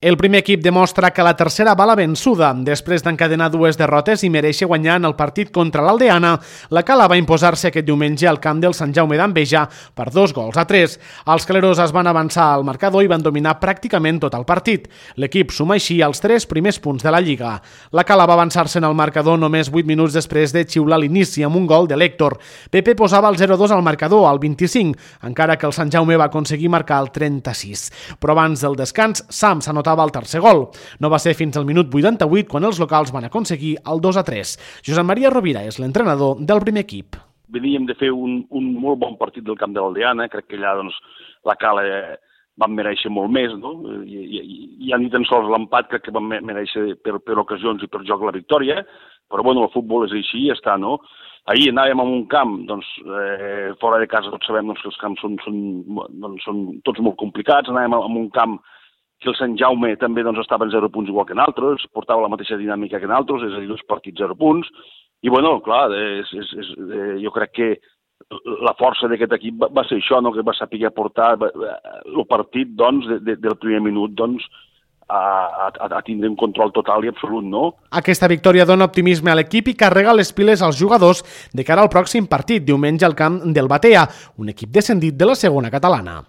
El primer equip demostra que la tercera va la vençuda. Després d'encadenar dues derrotes i mereixer guanyar en el partit contra l'Aldeana, la Cala va imposar-se aquest diumenge al camp del Sant Jaume d'Enveja per 2-3. Els caleros es van avançar al marcador i van dominar pràcticament tot el partit. L'equip suma així els 3 primers punts de la Lliga. La Cala va avançar-se en el marcador només 8 minuts després de xiular l'inici amb un gol de l'Héctor. Pepe posava el 0-2 al marcador al 25, encara que el Sant Jaume va aconseguir marcar el 36. Però abans del descans, Sam s'anotava el tercer gol. No va ser fins al minut 88 quan els locals van aconseguir el 2-3. Josep Maria Rovira és l'entrenador del primer equip. Veníem de fer un molt bon partit del camp de l'Aldeana, crec que allà la Cala van mereixer molt més, no? I ni tan sols l'empat crec que van mereixer per ocasions i per joc la victòria, però bueno, el futbol és així i ja està, no? Ahir anàvem a un camp, fora de casa tots sabem que els camps són tots molt complicats, anàvem a un camp que el Sant Jaume també estava en 0 punts igual que en altres, portava la mateixa dinàmica que en altres, és a dir, 2 partits 0 punts, i bueno, clar, jo crec que la força d'aquest equip va ser això, no? Que va saber portar el partit del primer minut a tindre un control total i absolut, no? Aquesta victòria dona optimisme a l'equip i carrega les piles als jugadors de cara al pròxim partit, diumenge al camp del Batea, un equip descendit de la segona catalana.